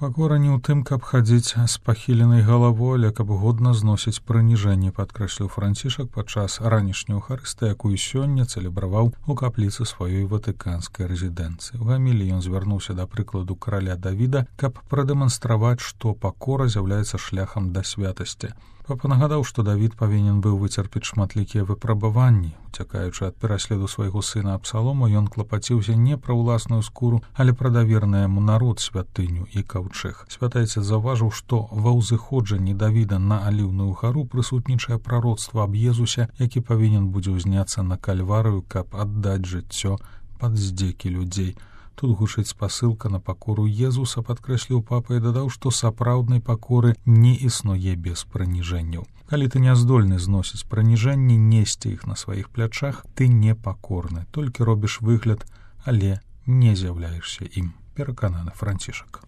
Пакора не ў тым, каб хадзіць з пахіленай галавой, але каб годна зносіць прыніжэнне, падкрэсліў Францішак падчас ранішняй эўхарыстыі, якую сёння цэлебраваў у капліцы сваёй ватыканскай рэзідэнцыі. У гаміліі ён звярнуўся да прыкладу караля Давіда, каб прадэманстраваць, што пакора з'яўляецца шляхам да святасці. Папа нагадаў, што Давід павінен быў выцерпець шматлікія выпрабаванні. Уцякаючы ад пераследу свайго сына Абсалому, ён клапаціўся не пра ўласную скуру, але пра даверны яму народ, святыню і каўчэг. Святайцы заўважыў, што ва ўзыходжанні Давіда на Аліўную гару прысутнічае прароцтва аб Езусе, які павінен будзе ўзняцца на Кальварыю, каб аддаць жыццё пад здзекі людзей. Тут гучыць спасылка на пакору Езуса, падкрэсліў папа і дадаў, што сапраўднай пакоры не існуе без прыніжэнняў. Калі ты не здольны зносіць прыніжэнні, несці іх на сваіх плячах, ты не пакорны, толькі робіш выгляд, але не з'яўляешся ім, перакананы Францішак.